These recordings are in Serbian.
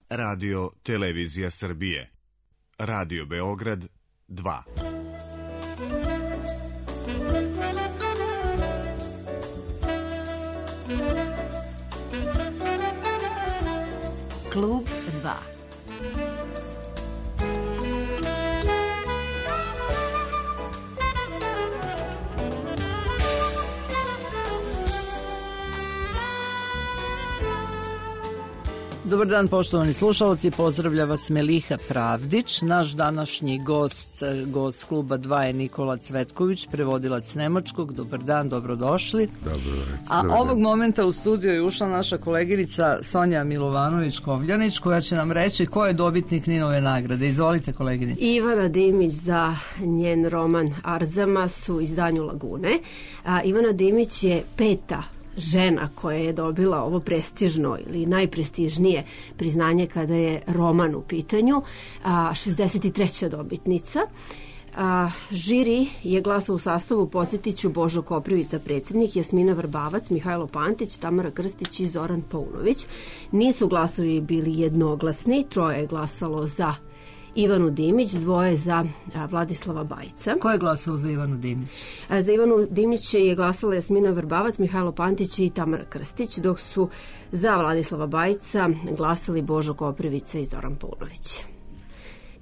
Radio Televizija Srbije. Radio Beograd 2. Klub 2. Dobar dan, poštovani slušalci, pozdravlja vas Meliha Pravdić. Naš današnji gost kluba 2 je Nikola Cvetković, prevodilac nemačkog. Dobar dan, dobrodošli. A ovog momenta u studiju je ušla naša koleginica Sonja Milovanović-Kovljanić, koja će nam reći ko je dobitnik Ninove nagrade. Izvolite, koleginice. Ivana Dimić za njen roman Arzamas u izdanju Lagune. Ivana Dimić je 5. žena koja je dobila ovo prestižno ili najprestižnije priznanje kada je roman u pitanju, 63. dobitnica. Žiri je glasao u sastavu, podsjetiću, Božo Koprivica predsjednik, Jasmina Vrbavac, Mihajlo Pantić, Tamara Krstić i Zoran Paunović. Nisu glasovi bili jednoglasni, 3 je glasalo za Ivanu Dimić, 2 za Vladislava Bajca. Ko je glasao za Ivanu Dimić? Za Ivanu Dimić je glasala Jasmina Vrbavac, Mihajlo Pantić i Tamara Krstić, dok su za Vladislava Bajca glasali Božo Koprivica i Zoran Paunović.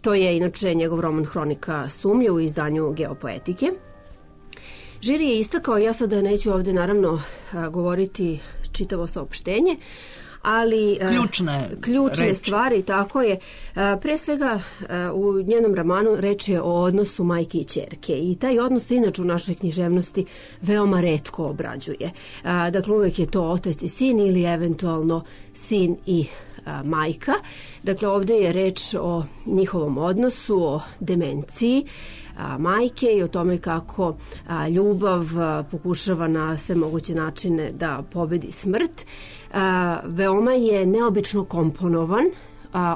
To je inače njegov roman Hronika sumnje u izdanju Geopoetike. Žiri je istakao, ja sada neću ovde naravno govoriti čitavo saopštenje, ali ključne stvari, tako je. Pre svega u njenom romanu reč je o odnosu majke i ćerke i taj odnos se inače u našoj književnosti veoma retko obrađuje. Dakle, uvek je to otac i sin ili eventualno sin i majka. Dakle, ovde je reč o njihovom odnosu, o demenciji majke i o tome kako ljubav pokušava na sve moguće načine da pobedi smrt. Veoma je neobično komponovan.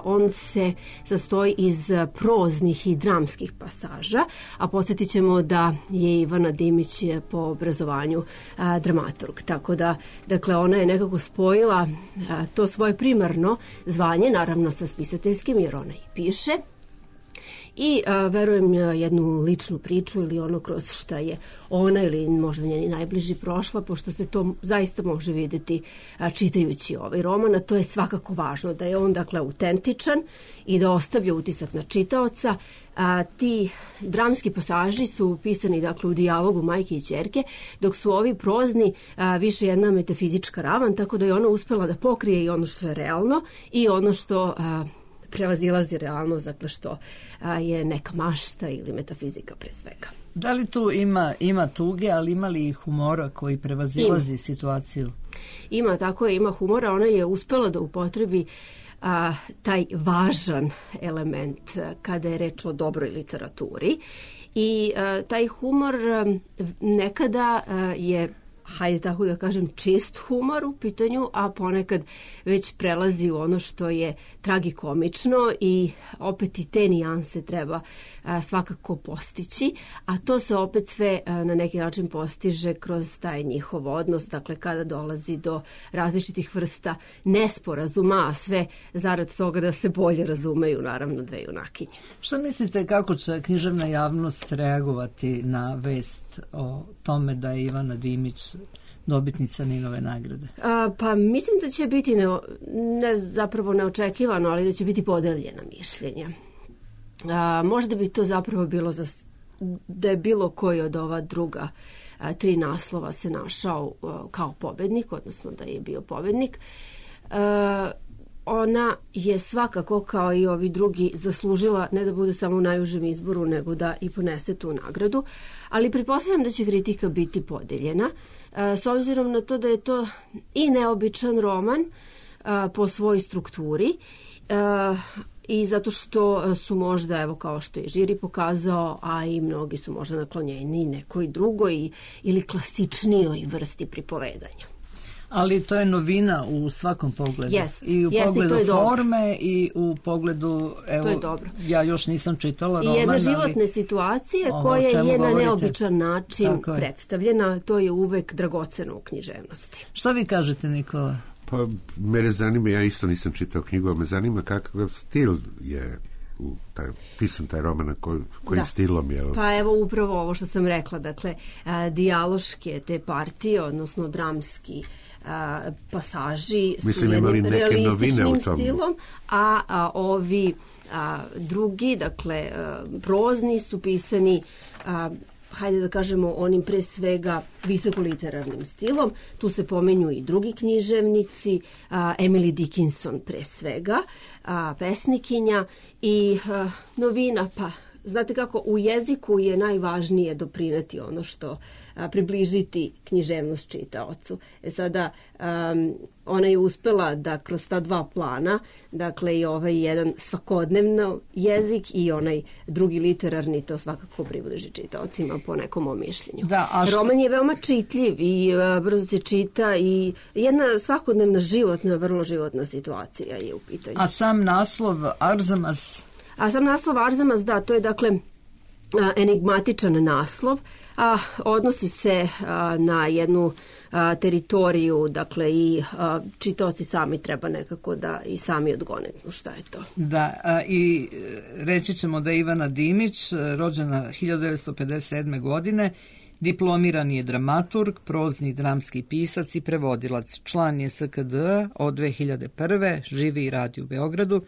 On se sastoji iz proznih i dramskih pasaža, a podsjetit ćemo da je Ivana Dimić po obrazovanju dramaturg. Tako da, dakle, ona je nekako spojila to svoje primarno zvanje, naravno sa spisateljskim, jer ona i piše. I verujem jednu ličnu priču ili ono kroz šta je ona ili možda njeni najbliži prošla, pošto se to zaista može vidjeti čitajući ovaj roman, a to je svakako važno, da je on dakle autentičan i da ostavlja utisak na čitaoca. Ti dramski pasaži su pisani dakle u dijalogu majke i ćerke, dok su ovi prozni više jedna metafizička ravan, tako da je ona uspela da pokrije i ono što je realno i ono što prevazilazi realnost, dakle što je neka mašta ili metafizika pre svega. Da li tu ima tuge, ali ima li humora koji prevazilazi situaciju? Ima, tako je, ima humora. Ona je uspela da upotrebi taj važan element kada je reč o dobroj literaturi i taj humor nekada je, hajde tako da kažem, čist humor u pitanju, a ponekad već prelazi u ono što je tragikomično i opet i te nijanse treba svakako postići, a to se opet sve na neki način postiže kroz taj njihov odnos, dakle kada dolazi do različitih vrsta nesporazuma, a sve zarad toga da se bolje razumeju, naravno, dve junakinje. Šta mislite kako će književna javnost reagovati na vest o tome da je Ivana Dimić dobitnica Ninove nagrade? Pa mislim da će biti zapravo neočekivano, ali da će biti podeljena mišljenja. Možda bi to zapravo bilo da je bilo koji od ova druga 3 naslova se našao kao pobednik, odnosno da je bio pobednik. Ona je svakako, kao i ovi drugi, zaslužila ne da bude samo u najužem izboru, nego da i ponese tu nagradu, ali pretpostavljam da će kritika biti podeljena, s obzirom na to da je to i neobičan roman po svojoj strukturi i zato što su možda, evo kao što je žiri pokazao, a i mnogi su možda naklonjeni nekoj drugoj ili klasičnijoj vrsti pripovedanja. Ali to je novina u svakom pogledu. I u pogledu forme i u pogledu, evo, ja još nisam čitala roman. I jedne životne situacije koja je na neobičan način predstavljena, to je uvek dragoceno u književnosti. Šta vi kažete, Nikola? Pa, mene zanima, ja isto nisam čitao knjigu, ali me zanima kakav stil je pisan taj roman, kojim stilom je. Pa evo upravo ovo što sam rekla, dakle, dijaloške te partije, odnosno dramski pasaži su jednim realističnim stilom, a ovi drugi, dakle, prozni su pisani hajde da kažemo onim pre svega visokoliterarnim stilom. Tu se pomenju i drugi književnici, Emily Dickinson pre svega, pesnikinja i novina, pa znate kako, u jeziku je najvažnije doprineti ono što približiti književnost čitaocu. Sada, ona je uspela da kroz ta dva plana, dakle i ovaj jedan svakodnevno jezik i onaj drugi literarni, to svakako približi čitaocima po nekom mom mišljenju. Roman je veoma čitljiv i brzo se čita i jedna svakodnevna životna, vrlo životna situacija je u pitanju. A sam naslov Arzamas? Arzamas, da, to je dakle enigmatičan naslov, a odnosi se na jednu teritoriju, dakle i čitaoci sami treba nekako da i sami odgonetnu šta je to. Da, i reći ćemo da je Ivana Dimić, rođena 1957. godine, diplomirani je dramaturg, prozni i dramski pisac i prevodilac. Član je SKD od 2001. Živi i radi u Beogradu.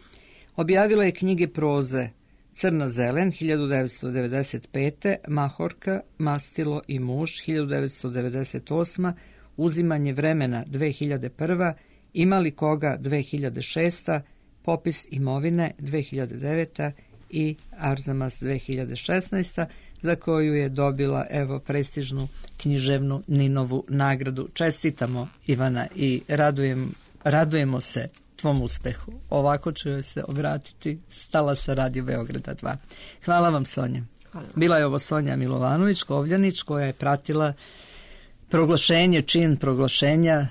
Objavila je knjige proze Crno-zelen 1995. Mahorka, Mastilo i muž 1998. Uzimanje vremena 2001. Ima li koga 2006. Popis imovine 2009. i Arzamas 2016. za koju je dobila prestižnu književnu Ninovu nagradu. Čestitamo, Ivana, i radujemo se tvom uspehu. Ovako ću joj se obratiti. Stala sa Radio Beograda 2. Hvala vam, Sonja. Hvala. Bila je ovo Sonja Milovanović, Kovljanić, koja je pratila čin proglašenja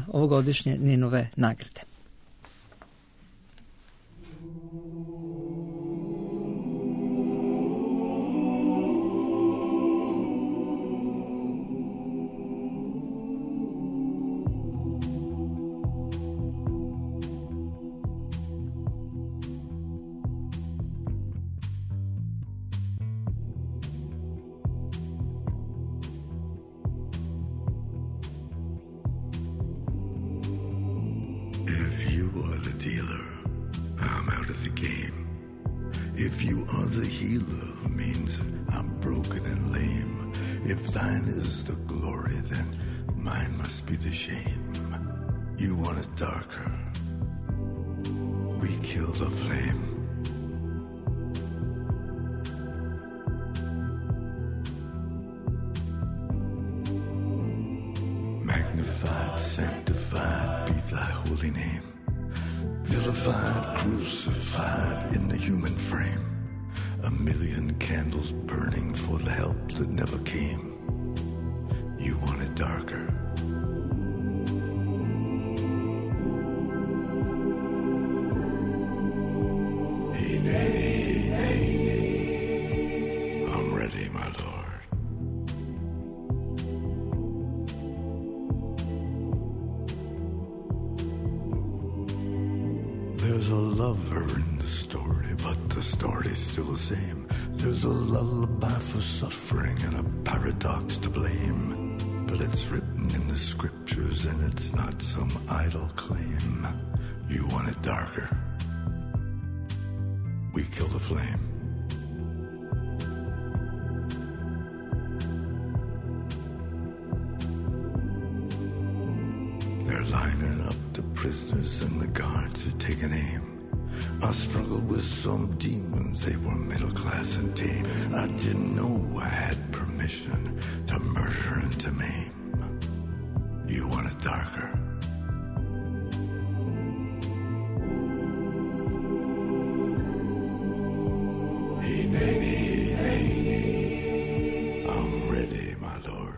ovogodišnje Ninove nagrade. If you are the healer, means I'm broken and lame. If thine is the glory, then mine must be the shame. You want it darker, we kill the flame. Magnified, sanctified be thy holy name. Vilified, crucified in the human frame. A million candles burning for the help that never came. You want it darker. Hey, nay, nay, nay, nay. I'm ready, my lord. There's a lover in the story, but the story's still the same. There's a lullaby for suffering and a paradox to blame. But it's written in the scriptures and it's not some idle claim. You want it darker, we kill the flame. They're lining up the prisoners and the guards are taking aim. I struggled with some demons, they were middle class and tame. I didn't know I had permission to murder and to maim. You want it darker, hey, nay, nay, nay, nay. I'm ready, my lord.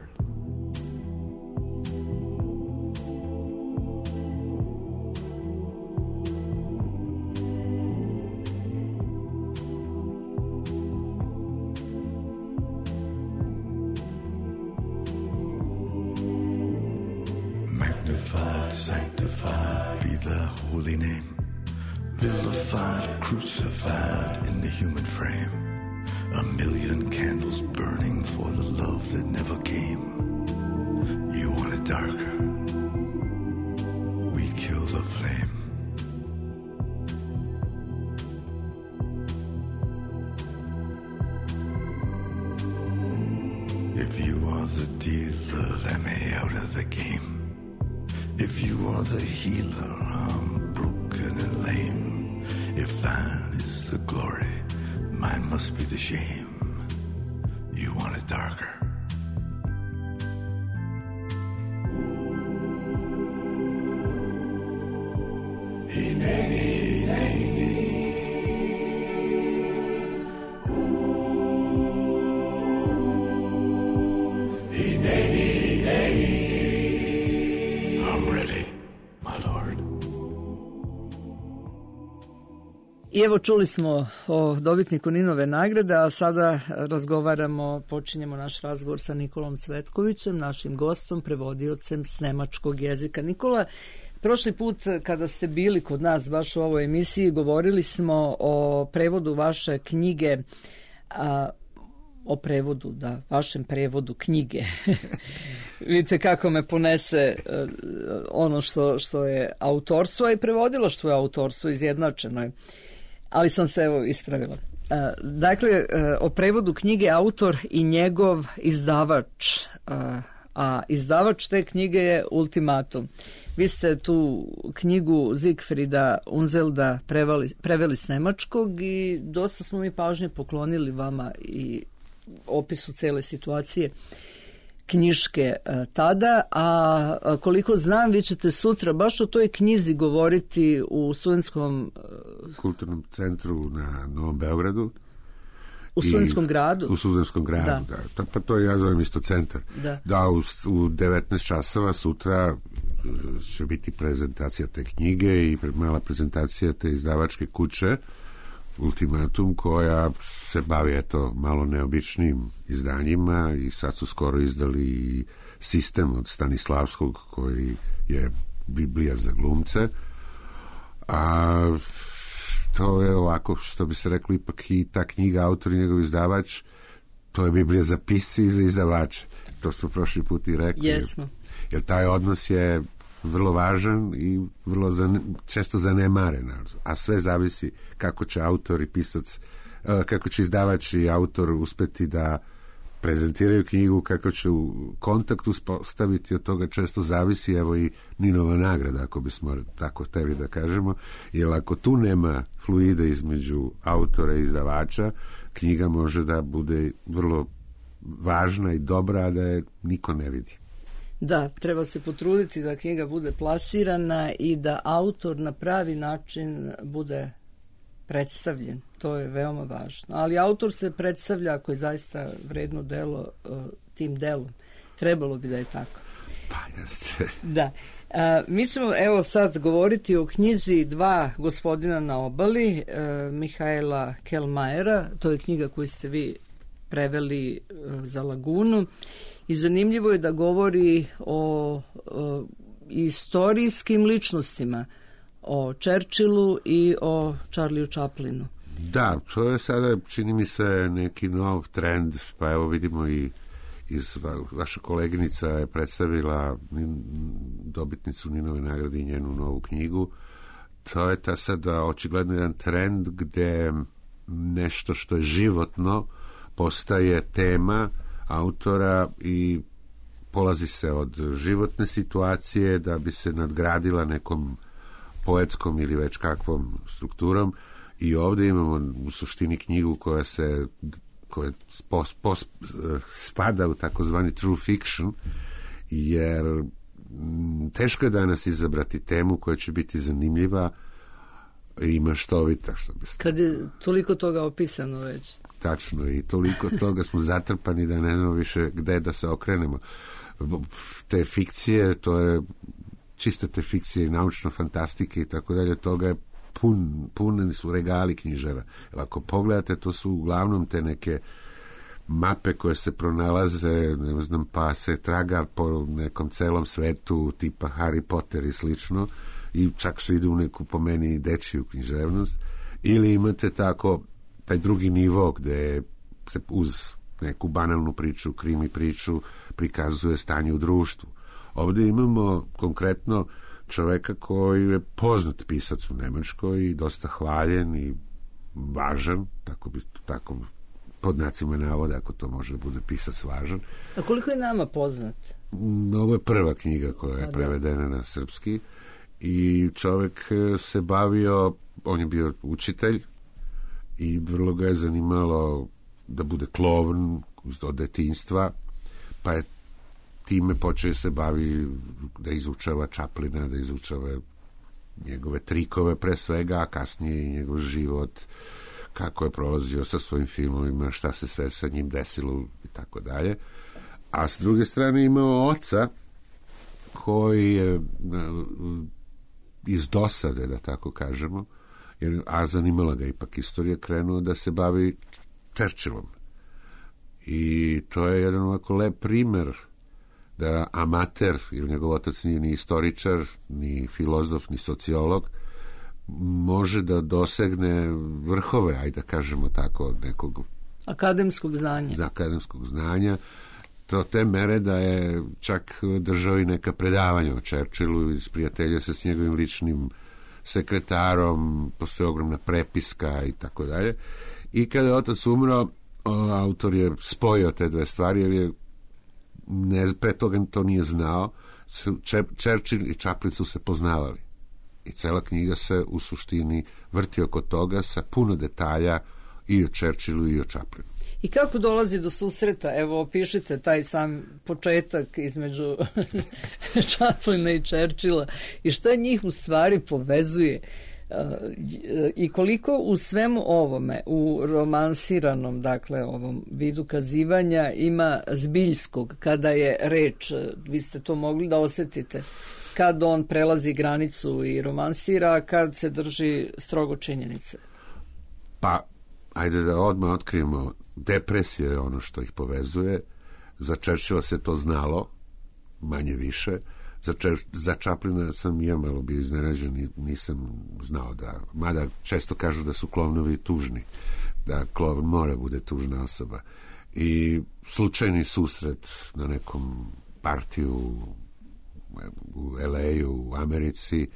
Magnified, holy name, vilified, crucified in the human frame. A million candles burning for the love that never came. You want it darker, we kill the flame. If you are the dealer, let me out of the game. If you are the healer, I'm broken and lame. If thine is the glory, mine must be the shame. You want it darker. Hineni, hineni. I evo čuli smo o dobitniku Ninove nagrade, a sada počinjemo naš razgovor sa Nikolom Cvetkovićem, našim gostom, prevodiocem s nemačkog jezika. Nikola, prošli put kada ste bili kod nas baš u ovoj emisiji, govorili smo o prevodu vaše knjige, vašem prevodu knjige. Vidite kako me ponese ono što je autorstvo, a i prevodilo što je autorstvo, izjednačeno je. Ali sam se ispravila. Dakle, o prevodu knjige autor i njegov izdavač, a izdavač te knjige je Ultimatum. Vi ste tu knjigu Siegfrieda Unselda preveli s nemačkog i dosta smo mi pažnje poklonili vama i opisu cele situacije knjiške tada, a koliko znam, vi ćete sutra baš o toj knjizi govoriti u studentskom kulturnom centru na Novom Beogradu. U studentskom gradu? U studentskom gradu, da. Pa to ja zovem isto centar. Da, u 19 časova sutra će biti prezentacija te knjige i mala prezentacija te izdavačke kuće Ultimatum, koja se bavi malo neobičnim izdanjima i sad su skoro izdali Sistem od Stanislavskog, koji je Biblija za glumce, a to je ovako, što bi se reklo, ipak i ta knjiga, autor i njegov izdavač, to je Biblija za pisce i za izdavače. To smo prošli put i rekli. Jesmo. Jer taj odnos je vrlo važan i vrlo često zanemaren, a sve zavisi kako će autor i pisac, kako će izdavač i autor uspeti da prezentiraju knjigu, kako će u kontakt uspostaviti, od toga često zavisi, evo i Ninova nagrada, ako bismo tako hteli da kažemo, jer ako tu nema fluide između autora i izdavača, knjiga može da bude vrlo važna i dobra, a da je niko ne vidi. Da, treba se potruditi da knjiga bude plasirana i da autor na pravi način bude predstavljen. To je veoma važno. Ali autor se predstavlja, ako je zaista vredno delo, tim delom. Trebalo bi da je tako. Pa jeste. Da. Mi ćemo evo sad govoriti o knjizi Dva gospodina na obali, Mihaela Kellmeyera. To je knjiga koju ste vi preveli za Lagunu. I zanimljivo je da govori o istorijskim ličnostima, o Churchillu i o Charlieu Chaplinu. Da, to je sada, čini mi se, neki nov trend, pa evo vidimo i vaša koleginica je predstavila dobitnicu Ninove nagrade i njenu novu knjigu. To je ta sada očigledno jedan trend gde nešto što je životno postaje tema autora i polazi se od životne situacije da bi se nadgradila nekom poetskom ili već kakvom strukturom, i ovdje imamo u suštini knjigu koja spada u takozvani true fiction, jer teško je danas izabrati temu koja će biti zanimljiva i maštovita, što bi se... Kad je toliko toga opisano već. Tačno, i toliko toga smo zatrpani da ne znamo više gde da se okrenemo. Te fikcije, to je čiste te fikcije i naučno fantastike i tako dalje, toga je puneni su regali knjižara. Jer ako pogledate, to su uglavnom te neke mape koje se pronalaze, ne znam, pa se traga po nekom celom svetu, tipa Harry Potter i slično, i čak se ide u neku, po meni, dečiju književnost, ili imate tako taj drugi nivo gde se uz neku banalnu priču, krimi priču, prikazuje stanje u društvu. Ovdje imamo konkretno čoveka koji je poznat pisac u Nemačkoj i dosta hvaljen i važan, tako pod znacima navoda, ako to može da bude pisac važan. A koliko je nama poznat? Ovo je prva knjiga koja je prevedena na srpski i čovek se bavio, on je bio učitelj i vrlo ga je zanimalo da bude klovn od detinjstva, pa je time počeo se bavi da izučava Chaplina, da izučava njegove trikove pre svega, a kasnije i njegov život, kako je prolazio sa svojim filmovima, šta se sve sa njim desilo i tako dalje. A s druge strane imao oca koji je iz dosade, da tako kažemo, a zanimala ga ipak istorija, krenuo da se bavi Churchillom. I to je jedan ovako lep primer da amater, ili njegov otac nije ni istoričar, ni filozof, ni sociolog, može da dosegne vrhove, ajde da kažemo tako, nekog akademskog znanja. Do te mere da je čak držao i neka predavanja o Churchillu i sprijateljio se s njegovim ličnim sekretarom, postoji ogromna prepiska i tako dalje. I kada je otac umro, autor je spojio te dve stvari, jer je pre toga to nije znao. Churchill i Chaplin su se poznavali. I cela knjiga se u suštini vrti oko toga sa puno detalja i o Churchillu i o Chaplinu. I kako dolazi do susreta? Evo, opišite taj sam početak između Chaplina i Churchilla i šta njih u stvari povezuje i koliko u svemu ovome, u romansiranom, dakle, ovom vidu kazivanja ima zbiljskog, kada je reč, vi ste to mogli da osjetite, kad on prelazi granicu i romansira, a kad se drži strogo činjenice? Pa, ajde da odmah otkrijemo, depresija je ono što ih povezuje. Za Churchilla se to znalo, manje više. Za Chaplina sam ja malo bio iznenađen i nisam znao da, mada često kažu da su klovnovi tužni, da klovn mora bude tužna osoba. I slučajni susret na nekom partiju u LA-u, u Americi,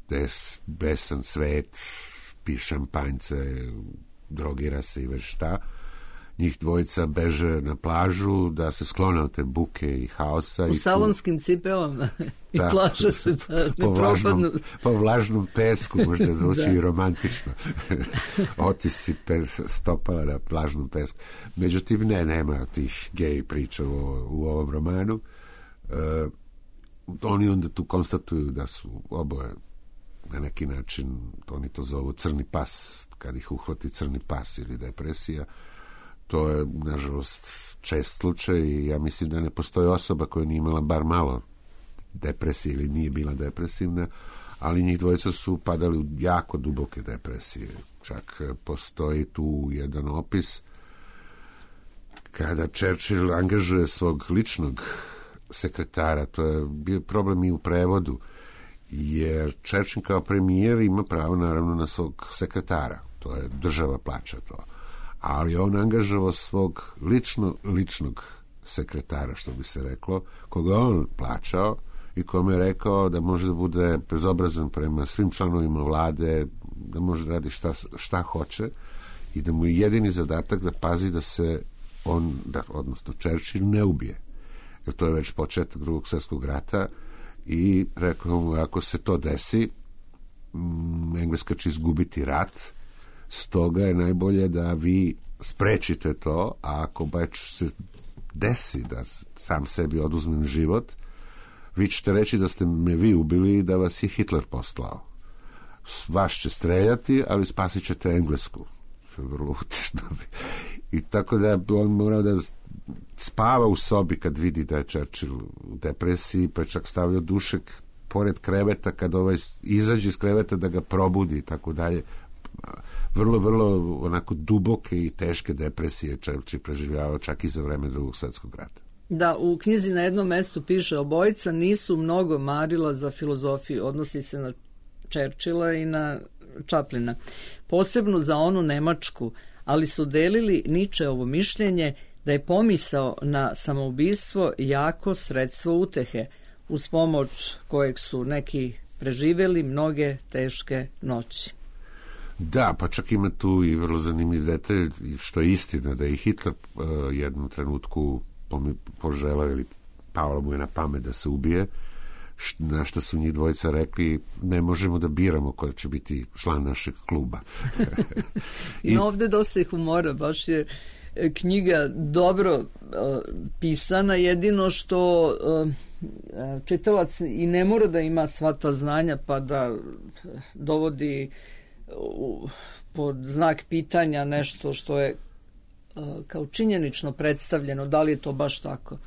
gde je besan svet, pije šampanjce, drogira se i već šta. Njih dvojica beže na plažu da se sklone od te buke i haosa. U salonskim cipelama i plaže se da ne propadnu. Po vlažnom pesku, možda zvuči i romantično. Otisci stopala na plažnom pesku. Međutim, nema tih gej priča u ovom romanu. Oni onda tu konstatuju da su oboje na neki način, oni to zovu crni pas, kad ih uhvati crni pas ili depresija. To je, nažalost, čest slučaj i ja mislim da ne postoji osoba koja nije imala bar malo depresije ili nije bila depresivna, ali njih dvojica su padali u jako duboke depresije. Čak postoji tu jedan opis kada Churchill angažuje svog ličnog sekretara, to je bio problem i u prevodu, jer Churchill kao premijer ima pravo naravno na svog sekretara, to je država plaća to. Ali on angažovao svog ličnog sekretara, što bi se reklo, koga on plaćao i kome je rekao da može da bude bezobrazan prema svim članovima vlade, da može da radi šta hoće i da mu je jedini zadatak da pazi da se on, odnosno Churchill, ne ubije. Jer to je već početak Drugog svjetskog rata i rekao mu, ako se to desi, Engleska će izgubiti rat, stoga je najbolje da vi sprečite to, a ako baš se desi da sam sebi oduzmem život, vi ćete reći da ste me vi ubili i da vas je Hitler poslao. Vas će streljati, ali spasit ćete Englesku. Što je vrlo utešno. I tako da on morao da spava u sobi kad vidi da je Churchill u depresiji, pa je čak stavio dušek pored kreveta, kad izađe iz kreveta da ga probudi i tako dalje. Vrlo, vrlo onako duboke i teške depresije Churchill preživljavao čak i za vreme Drugog svjetskog rata. Da, u knjizi na jednom mestu piše: obojica nisu mnogo marila za filozofiju, odnosi se na Churchilla i na Chaplina. Posebno za onu Nemačku, ali su delili Nietzscheovo mišljenje da je pomisao na samoubistvo jako sredstvo utehe, uz pomoć kojeg su neki preživjeli mnoge teške noći. Da, pa čak ima tu i vrlo zanimljiv detalj, što je istina, da je Hitler jednom trenutku poželao ili palo mu je na pamet da se ubije, na što su njih dvojica rekli, ne možemo da biramo ko će biti član našeg kluba. I ovdje dosta je humora, baš je knjiga dobro pisana, jedino što čitalac i ne mora da ima sva ta znanja pa da dovodi pod znak pitanja nešto što je kao činjenično predstavljeno, da li je to baš tako.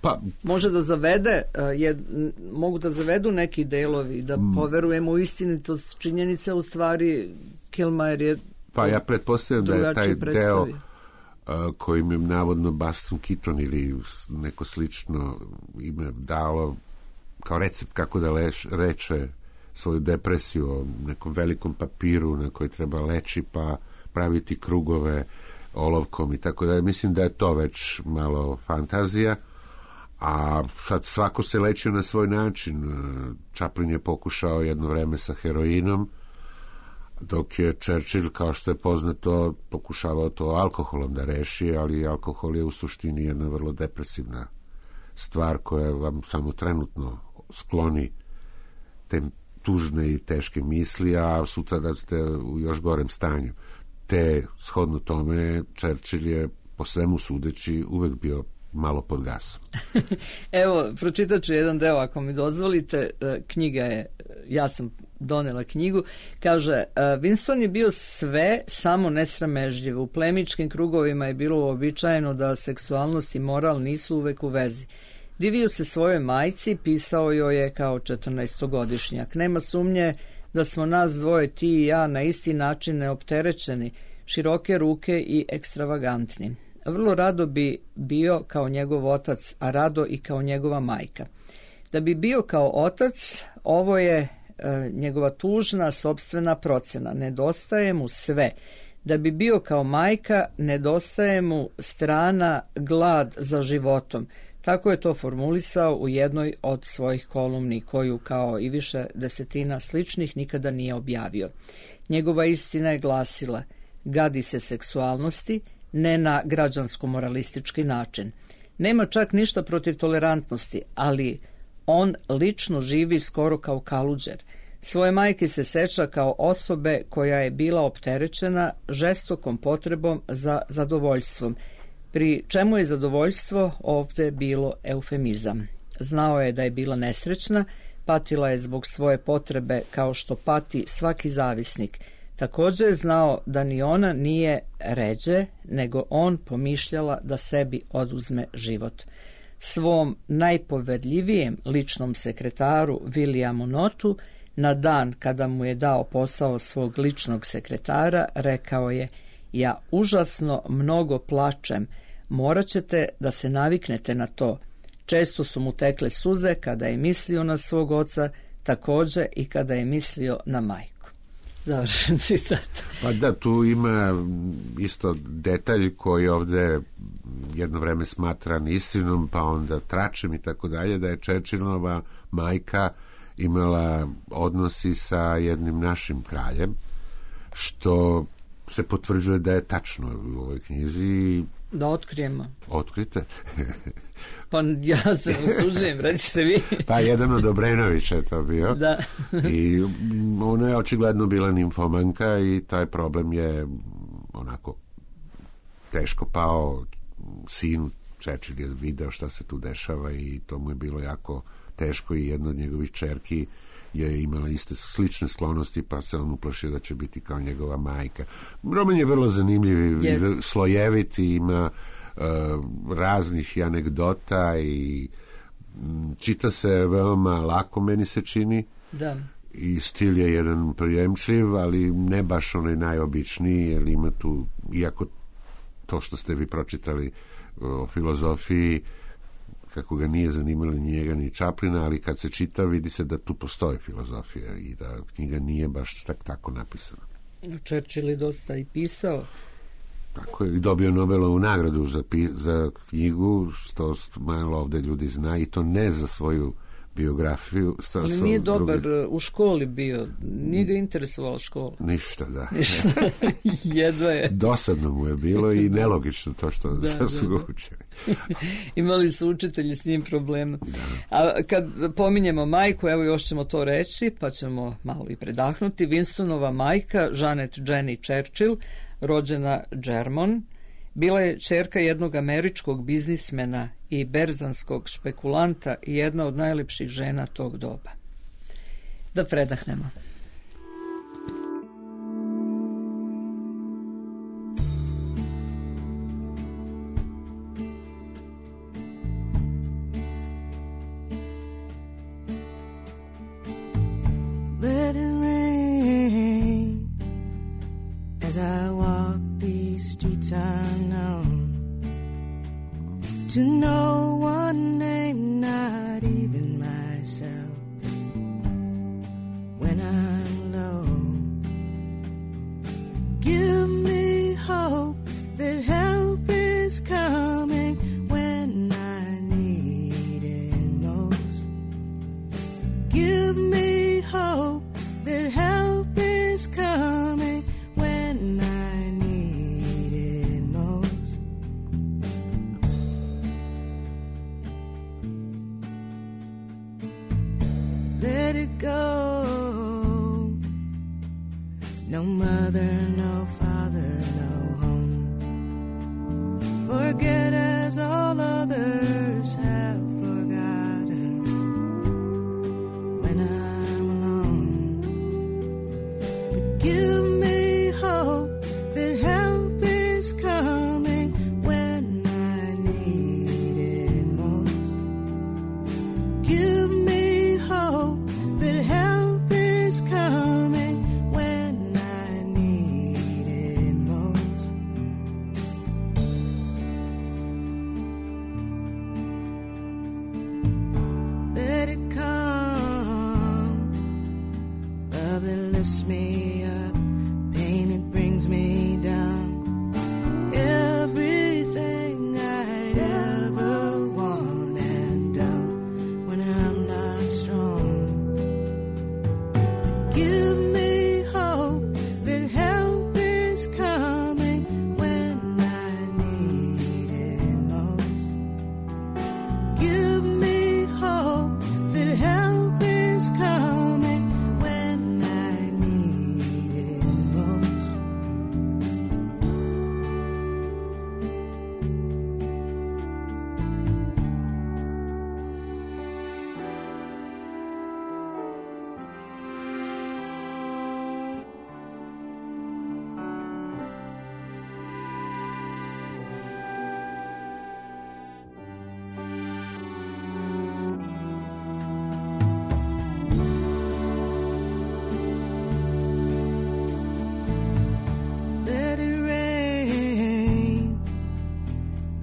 Pa, može da zavede, mogu da zavedu neki delovi, da poverujemo u istinitost činjenica, u stvari Killmajer je pa ja pretpostavljam da je taj deo kojim je navodno Buster Keaton ili neko slično ime dalo kao recept kako da reče svoju depresiju o nekom velikom papiru na koji treba leći pa praviti krugove olovkom i tako da. Mislim da je to već malo fantazija, a sad svako se lečio na svoj način. Chaplin je pokušao jedno vreme sa heroinom, dok je Churchill, kao što je poznato, pokušavao to alkoholom da reši, ali alkohol je u suštini jedna vrlo depresivna stvar koja vam samo trenutno skloni te tužne i teške misli, a sutra da ste u još gorem stanju. Te, shodno tome, Churchill je po svemu sudeći uvek bio malo pod gasom. Evo, pročitat ću jedan deo ako mi dozvolite. Knjiga je, ja sam donela knjigu, kaže, Winston je bio sve samo nesramežljiv. U plemičkim krugovima je bilo uobičajeno da seksualnost i moral nisu uvek u vezi. Divio se svojoj majci, pisao joj je kao 14-godišnjak. Nema sumnje da smo nas dvoje, ti i ja, na isti način neopterećeni, široke ruke i ekstravagantni. Vrlo rado bi bio kao njegov otac, a rado i kao njegova majka. Da bi bio kao otac, ovo je njegova tužna sopstvena procena. Nedostaje mu sve. Da bi bio kao majka, nedostaje mu strana glad za životom. Tako je to formulisao u jednoj od svojih kolumni, koju kao i više desetina sličnih nikada nije objavio. Njegova istina je glasila: gadi se seksualnosti, ne na građansko-moralistički način. Nema čak ništa protiv tolerantnosti, ali on lično živi skoro kao kaluđer. Svoje majke se seća kao osobe koja je bila opterećena žestokom potrebom za zadovoljstvom, pri čemu je zadovoljstvo ovdje bilo eufemizam. Znao je da je bila nesrećna, patila je zbog svoje potrebe kao što pati svaki zavisnik. Također je znao da ni ona nije ređe, nego on pomišljala da sebi oduzme život. Svom najpoverljivijem ličnom sekretaru Williamu Notu, na dan kada mu je dao posao svog ličnog sekretara, rekao je: ja užasno mnogo plačem, morat ćete da se naviknete na to. Često su mu tekle suze kada je mislio na svog oca, također i kada je mislio na majku. Završen citat. Pa da, tu ima isto detalj koji ovdje jedno vreme smatran istinom, pa onda tračem i tako dalje, da je Churchillova majka imala odnosi sa jednim našim kraljem, što se potvrđuje da je tačno u ovoj knjizi. Da otkrijemo. Otkrite. Pa ja se usuđujem, recite vi. Pa jedan od Obrenovića je to bio. Da. I ona je očigledno bila nimfomanka i taj problem je onako teško pao sinu. Churchill je video šta se tu dešava i to mu je bilo jako teško i jedna od njegovih ćerki je imala iste slične sklonosti, pa se on uplašio da će biti kao njegova majka. Roman je vrlo zanimljiv i slojevit i ima raznih anegdota i čita se veoma lako, meni se čini. Da. I stil je jedan prijemčiv, ali ne baš onaj najobičniji, jer ima tu, iako to što ste vi pročitali o filozofiji, kako ga nije zanimalo ni njega ni Chaplina, ali kad se čita vidi se da tu postoji filozofija i da knjiga nije baš tako napisana. Churchill je dosta i pisao. Tako je, i dobio Nobelovu nagradu za knjigu, što malo ovde ljudi zna, i to ne za svoju biografiju. Ali nije dobar u školi bio, nije ga interesovala škola. Ništa, da. Ništa, jedva je. Dosadno mu je bilo i nelogično to što su ga učili. Imali su učitelji s njim problema. A kad pominjemo majku, evo još ćemo to reći, pa ćemo malo i predahnuti. Winstonova majka, Janet Jenny Churchill, rođena Germon, bila je ćerka jednog američkog biznismena i berzanskog špekulanta i jedna od najlepših žena tog doba. Da predahnemo. Let it rain as I walk these streets unknown, to no one name, not even myself. When I'm low, give me hope that help is coming when I need it most. Give me hope that help is coming when I need it most. Let it go. No mother, no father, no home. Forget as all others have forgotten. When I'm alone, but give me hope that help is coming when I need it most. Give me hope that help is coming when I need it most. Let it come, love that lifts me up, pain that brings me down. Everything I'd ever want and done when I'm not strong. Give me hope that help is coming when I need it most. Give me hope that help is coming when I need it most. Let it rain,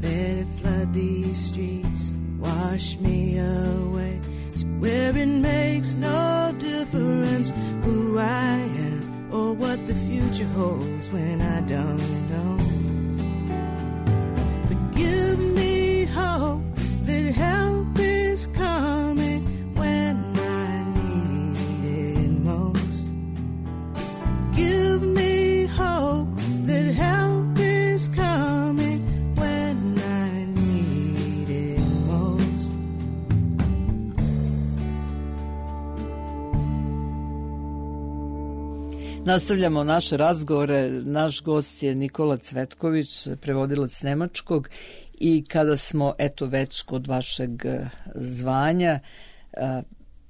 let it flood these streets, wash me away to where it makes no difference who I am or what the future holds when I don't know. But give me hope that help is coming when I need it most. Give me hope that help is coming when I need it most. Nastavljamo naše razgovore. Naš gost je Nikola Cvetković, prevodilac nemačkog, i kada smo već kod vašeg zvanja,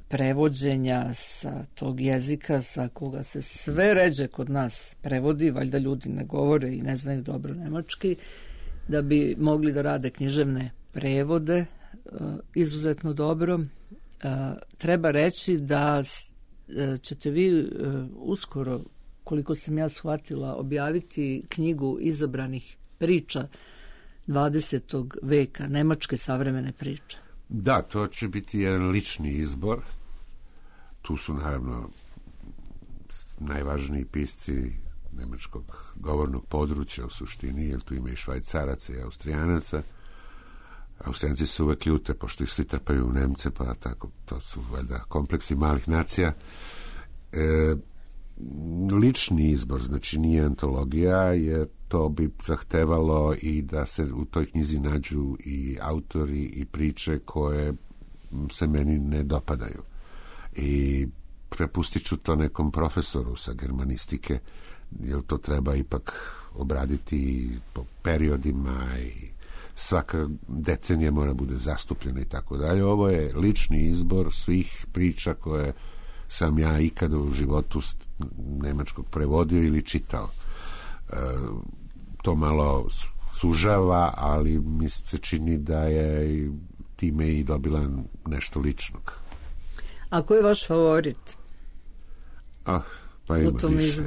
prevođenja sa tog jezika sa koga se sve ređe kod nas prevodi, valjda ljudi ne govore i ne znaju dobro nemački, da bi mogli da rade književne prevode izuzetno dobro. Treba reći da ćete vi uskoro, koliko sam ja shvatila, objaviti knjigu izabranih priča 20. veka, nemačke savremene priče. Da, to će biti jedan lični izbor. Tu su naravno najvažniji pisci nemačkog govornog područja u suštini, jer tu ima i Švajcaraca i Austrijanaca. Austrijanci su uvek ljute, pošto ih svi trpaju u Nemce, pa tako, to su valjda kompleksi malih nacija. Lični izbor, znači nije antologija, jer to bi zahtevalo i da se u toj knjizi nađu i autori i priče koje se meni ne dopadaju. I prepustit ću to nekom profesoru sa germanistike, jer to treba ipak obraditi po periodima i svaka decenija mora bude zastupljena i tako dalje. Ovo je lični izbor svih priča koje sam ja ikada u životu nemačkog prevodio ili čitao. To malo sužava, ali mi se čini da je time i dobila nešto ličnog. A ko je vaš favorit? Pa ima u tom više.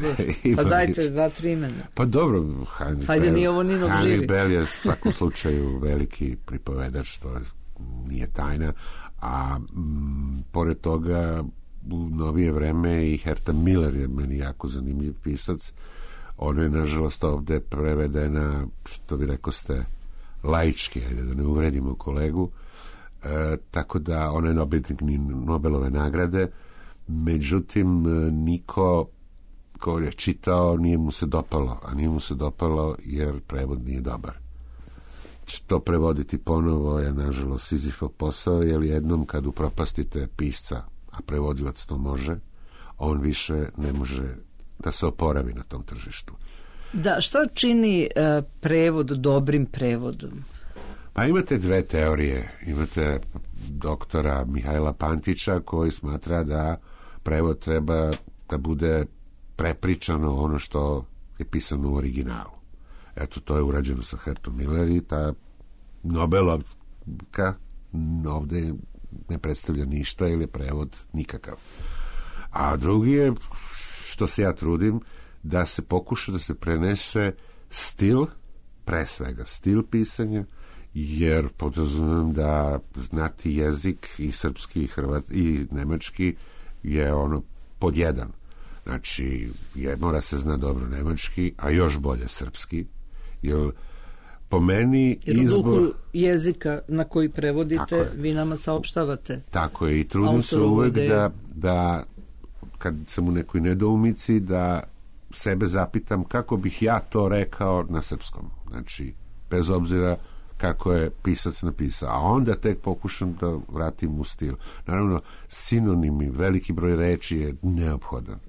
Pa dajte 2-3 imena. Pa dobro, Hannibal je u svakom slučaju veliki pripovedač, to nije tajna, a pored toga u novije vreme i Herta Miller je meni jako zanimljiv pisac. Ona je nažalost ovde prevedena, što vi rekoste, laički, ajde da ne uvredimo kolegu, tako da ona je Nobelove nagrade. Međutim, niko ko je čitao nije mu se dopalo, a nije mu se dopalo jer prevod nije dobar. To prevoditi ponovo je nažalost Sizifov posao, jer jednom kad upropastite pisca, a prevodilac to može, on više ne može da se oporavi na tom tržištu. Da, šta čini prevod dobrim prevodom? Pa imate dve teorije. Imate doktora Mihajla Pantića koji smatra da prevod treba da bude prepričano ono što je pisano u originalu. Eto, to je urađeno sa Hertom Miller i ta Nobelovka ovde ne predstavlja ništa ili je prevod nikakav. A drugi je, što se ja trudim, da se pokuša da se prenese stil, pre svega stil pisanja, jer podrazumijem da znati jezik i srpski i nemački je ono pod jedan. Znači, mora se zna dobro nemački, a još bolje srpski, jer po meni izbor... U duhu jezika na koji prevodite, vi nama saopštavate. Tako je, i trudim se uvek da kad sam u nekoj nedoumici, da sebe zapitam kako bih ja to rekao na srpskom. Znači, bez obzira kako je pisac napisao, a onda tek pokušam da vratim u stil. Naravno, sinonimi, veliki broj reči je neophodan,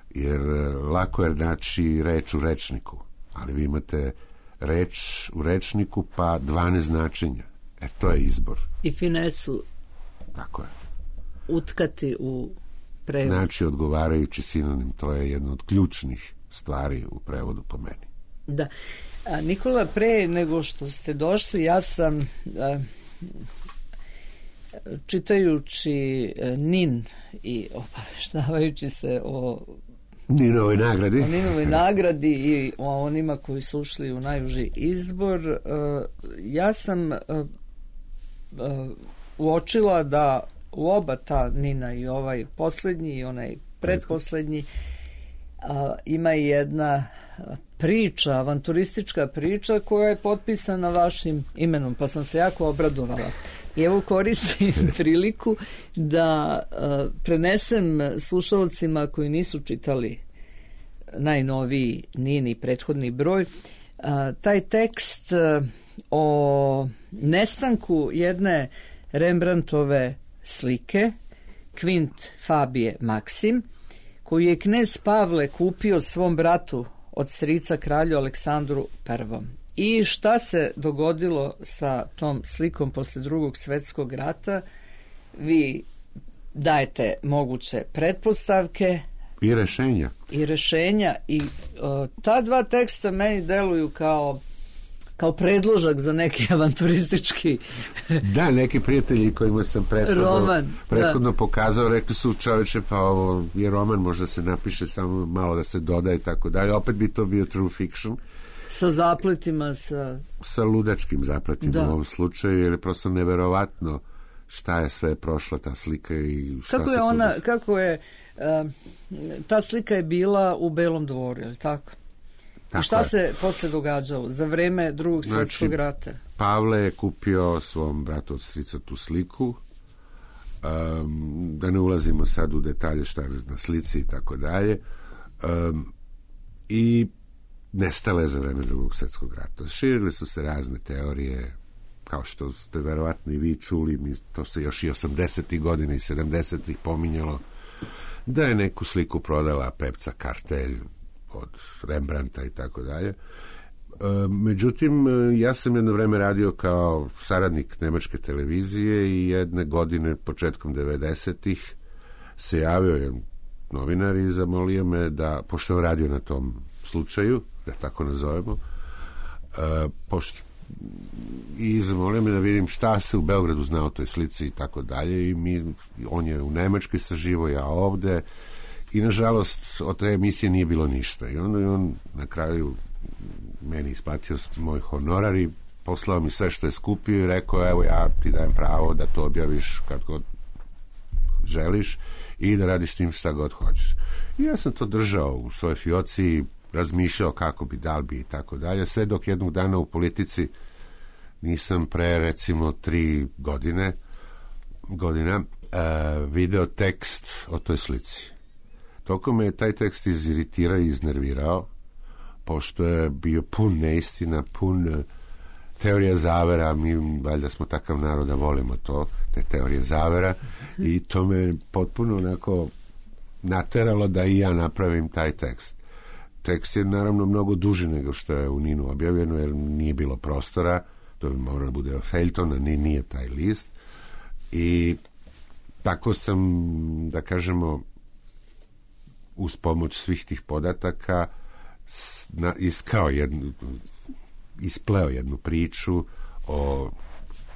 jer lako je naći reč u rečniku, ali vi imate reč u rečniku pa 12 značenja. To je izbor. I finesu. Tako je. Utkati u prevod. Znači, odgovarajući sinonim, to je jedna od ključnih stvari u prevodu po meni. Da. Nikola, pre nego što ste došli, ja sam čitajući NIN i obaveštavajući se o Ninovoj nagradi i o onima koji su ušli u najuži izbor, ja sam uočila da u oba ta Nina, i ovaj poslednji i onaj pretposlednji, ima i jedna priča, avanturistička priča koja je potpisana vašim imenom, pa sam se jako obradovala. I evo koristim priliku da prenesem slušalcima koji nisu čitali najnoviji Nini prethodni broj, taj tekst o nestanku jedne Rembrandtove slike Kvint Fabije Maksim, koju je knez Pavle kupio svom bratu od strica kralju Aleksandru I. I šta se dogodilo sa tom slikom posle Drugog svetskog rata? Vi dajete moguće pretpostavke i rešenja i ta dva teksta meni deluju kao predložak za neki avanturistički da, neki prijatelji kojima sam prethodno pokazao, rekli su, čoveče, pa ovo je roman, možda se napiše samo malo da se doda i tako dalje, opet bi to bio true fiction sa zapletima, sa ludačkim zapletima u ovom slučaju, jer je prosto neverovatno šta je sve prošla ta slika i šta kako se je ona, kako je ta slika je bila u Belom dvoru, je li tako? I šta se posle događalo za vreme Drugog svjetskog rata? Pavle je kupio svom bratu od strica tu sliku, da ne ulazimo sad u detalje šta je na slici i tako dalje, i nestala je za vreme Drugog svjetskog rata. Širile su se razne teorije, kao što ste verovatno i vi čuli, to se još i 80. godina i 70. pominjalo, da je neku sliku prodala Pepca Kartelj od Rembrandta i tako dalje. Međutim, ja sam jedno vreme radio kao saradnik nemačke televizije i jedne godine, početkom 90-ih, se javio jedan novinar i zamolio me da, pošto je radio na tom slučaju, da tako nazovemo, i zamolio me da vidim šta se u Beogradu zna o toj slici i tako dalje, i on je u Nemačkoj istraživao, ja ovde, i nažalost od te emisije nije bilo ništa, i onda je on na kraju meni isplatio moj honorar i poslao mi sve što je skupio i rekao, evo ja ti dajem pravo da to objaviš kad god želiš i da radiš s tim šta god hoćeš. I ja sam to držao u svojoj fioci, razmišljao kako bi, da li bi i tako dalje, sve dok jednog dana u politici nisam pre recimo 3 godina video tekst o toj slici. Toliko me je taj tekst iziritirao i iznervirao, pošto je bio pun neistina, pun teorija zavera, mi valjda smo takav narod da volimo to, te teorije zavera, i to me potpuno onako nateralo da i ja napravim taj tekst. Tekst je naravno mnogo duži nego što je u NIN-u objavljeno, jer nije bilo prostora, to bi moralo bude feljton, a nije taj list, i tako sam, da kažemo, uz pomoć svih tih podataka ispleo jednu priču o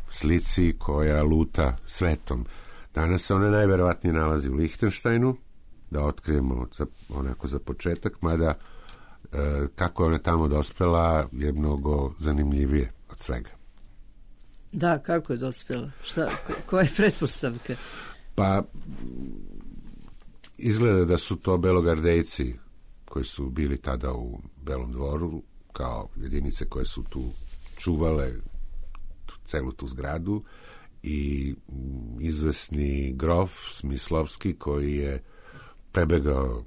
slici koja luta svetom. Danas se ona najverovatnije nalazi u Lihtenštajnu, da otkrijemo onako za početak, mada kako je ona tamo dospela je mnogo zanimljivije od svega. Da, kako je dospela? Koja je pretpostavka? Pa izgleda da su to belogardejci koji su bili tada u Belom dvoru, kao jedinice koje su tu čuvale celu tu zgradu, i izvesni grof Smislovski koji je prebegao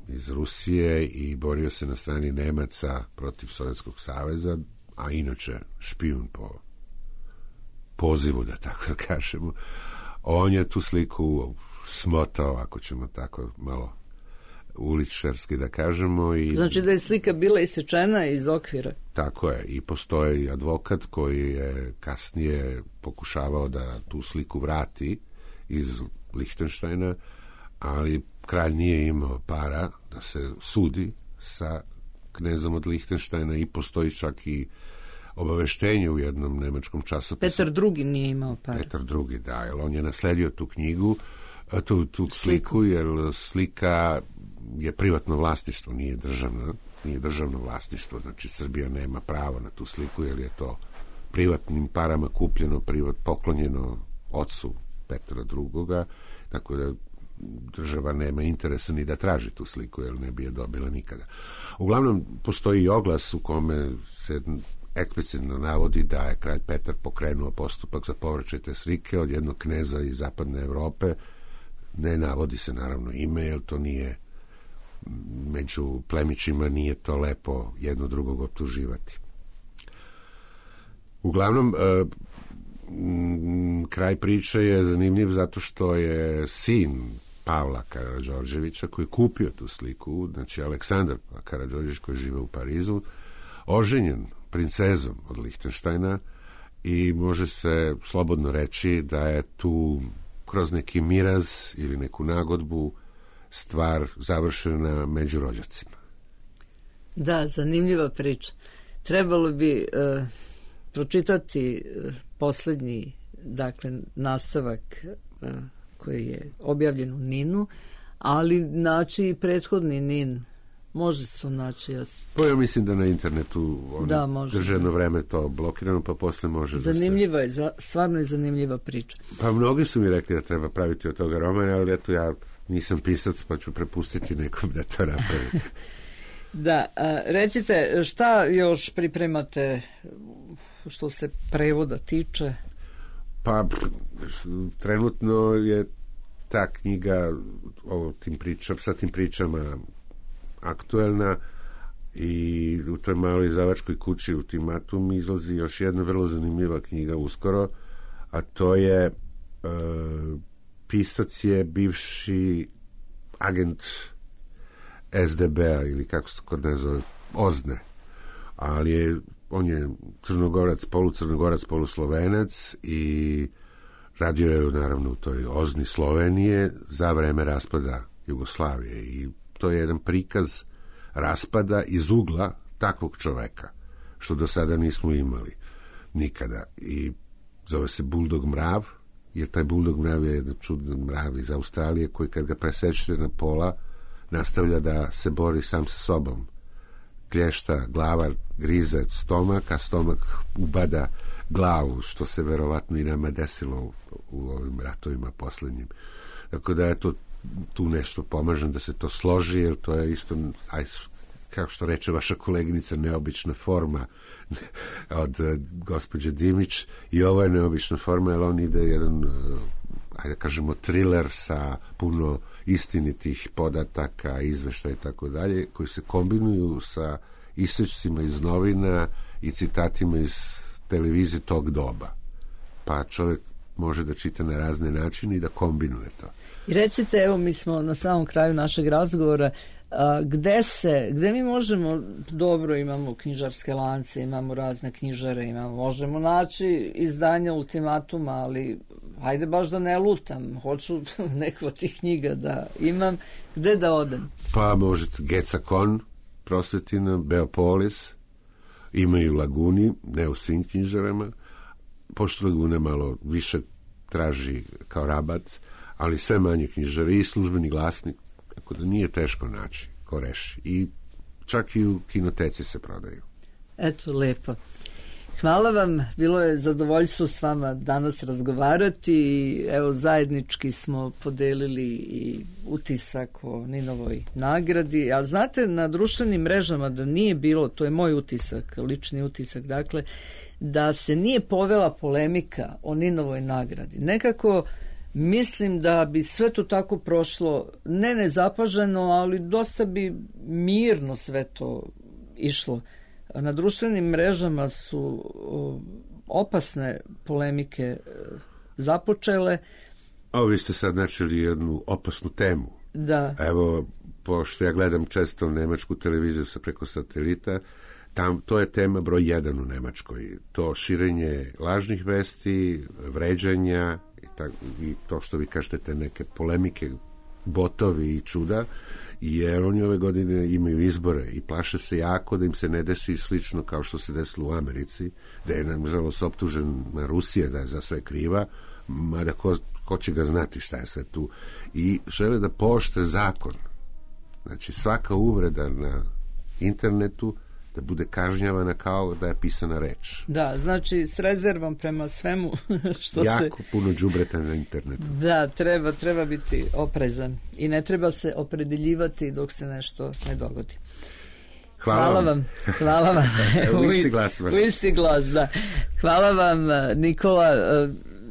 iz Rusije i borio se na strani Nemaca protiv Sovjetskog saveza, a inače špijun po pozivu, da tako da kažemo. On je tu sliku smotao, ako ćemo tako malo uličarski da kažemo. Znači da je slika bila isečena iz okvira. Tako je, i postoji advokat koji je kasnije pokušavao da tu sliku vrati iz Lihtenštajna, ali kralj nije imao para da se sudi sa knezom od Lihtenštajna, i postoji čak i obaveštenje u jednom nemačkom časopisu. Petar II nije imao para. Petar II, da, jer on je nasledio tu knjigu, tu sliku, jer slika je privatno vlasništvo, nije državno vlasništvo, znači Srbija nema pravo na tu sliku, jer je to privatnim parama kupljeno, poklonjeno ocu Petra II, tako da država nema interesa ni da traži tu sliku, jer ne bi je dobila nikada. Uglavnom, postoji i oglas u kome se eksplicitno navodi da je kralj Petar pokrenuo postupak za povraćaj te slike od jednog kneza iz zapadne Evrope. Ne navodi se naravno ime, jer to nije, među plemićima nije to lepo jedno drugog optuživati. Uglavnom, kraj priče je zanimljiv zato što je sin Pavla Karađorđevića, koji je kupio tu sliku, znači Aleksandar Karađorđević, koji žive u Parizu, oženjen princezom od Lihtenštajna, i može se slobodno reći da je tu kroz neki miraz ili neku nagodbu stvar završena među rođacima. Da, zanimljiva priča. Trebalo bi pročitati poslednji, dakle, nastavak koji je objavljen u NIN-u, ali znači prethodni NIN Može se to naći, jasno. Pa ja mislim da na internetu drže jedno vreme to blokirano, pa posle može zanimljiva je, stvarno je zanimljiva priča. Pa mnogi su mi rekli da treba praviti od toga romana, ali eto ja nisam pisac, pa ću prepustiti nekom da to napravi. Da, recite, šta još pripremate što se prevoda tiče? Pa trenutno je ta knjiga sa tim pričama aktuelna i u toj maloj izdavačkoj kući Ultimatum izlazi još jedna vrlo zanimljiva knjiga uskoro, a to je pisac je bivši agent SDB-a ili kako se kod ne zove, OZNE, ali on je Crnogorac, polucrnogorac, poluslovenac i radio je naravno u toj OZNI Slovenije za vreme raspada Jugoslavije i to je jedan prikaz raspada iz ugla takvog čoveka, što do sada nismo imali nikada. I zove se Buldog mrav, jer taj Buldog mrav je jedan čudan mrav iz Australije koji kad ga presečete na pola nastavlja da se bori sam sa sobom. Klješta, glava grize stomak, a stomak ubada glavu, što se verovatno i nama desilo u ovim ratovima poslednjim. Tako da je to tu nešto pomažem da se to složi, jer to je isto, kako što reče vaša koleginica, neobična forma od gospođe Dimić, i ovo je neobična forma, jer on ide jedan, ajde kažemo, thriller sa puno istinitih podataka, izveštaja i tako dalje, koji se kombinuju sa isečcima iz novina i citatima iz televizije tog doba. Pa čovjek može da čita na razne načine i da kombinuje to. I recite, evo, mi smo na samom kraju našeg razgovora, gde mi možemo, dobro, imamo knjižarske lance, imamo razne knjižare, možemo naći izdanja Ultimatuma, ali hajde baš da ne lutam, hoću neku od tih knjiga da imam, gde da odem? Pa možete Gecakon, Prosvetina, Beopolis, imaju Laguni, ne u svim knjižarama, pošto Laguna malo više traži kao rabat, ali sve manje knjižare i Službeni glasnik, tako da nije teško naći ko reši. I čak i u kinoteci se prodaju. Eto, lepo. Hvala vam, bilo je zadovoljstvo s vama danas razgovarati i evo zajednički smo podelili i utisak o Ninovoj nagradi, a znate, na društvenim mrežama da nije bilo, to je moj utisak, lični utisak, dakle, da se nije povela polemika o Ninovoj nagradi. Nekako mislim da bi sve to tako prošlo, ne nezapaženo, ali dosta bi mirno sve to išlo. Na društvenim mrežama su opasne polemike započele. A vi ste sad načeli jednu opasnu temu. Da. Evo, pošto ja gledam često nemačku televiziju preko satelita, to je tema broj 1 u Nemačkoj. To širenje lažnih vesti, vređanja i to što vi kažete, te neke polemike, botovi i čuda, jer oni ove godine imaju izbore i plaše se jako da im se ne desi slično kao što se desilo u Americi, da je nažalost optužena Rusija da je za sve kriva, mada ko će ga znati šta je sve tu, i žele da pooštre zakon. Znači svaka uvreda na internetu da bude kažnjavana kao da je pisana reč. Da, znači s rezervom prema svemu što jako puno đubreta na internetu. Da, treba biti oprezan i ne treba se opredeljivati dok se nešto ne dogodi. Hvala vam. Hvala vam. U isti glas. U isti glas, da. Hvala vam,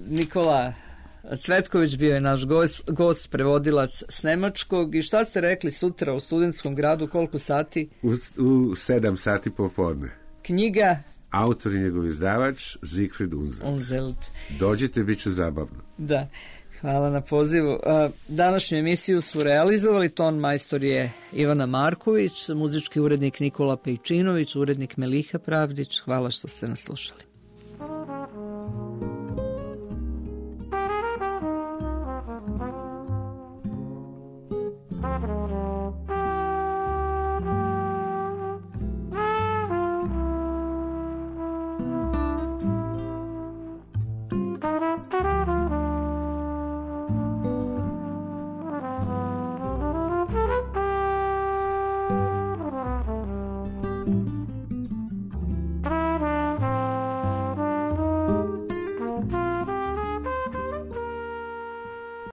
Nikola Cvetković bio je naš gost, prevodilac s nemačkog. I šta ste rekli sutra u Studentskom gradu, koliko sati? U 7 sati popodne. Knjiga? Autor i njegov izdavač Siegfried Unseld. Dođite, bit će zabavno. Da, hvala na pozivu. Današnju emisiju su realizovali, ton majstor je Ivana Marković, muzički urednik Nikola Pejčinović, urednik Meliha Pravdić. Hvala što ste nas slušali.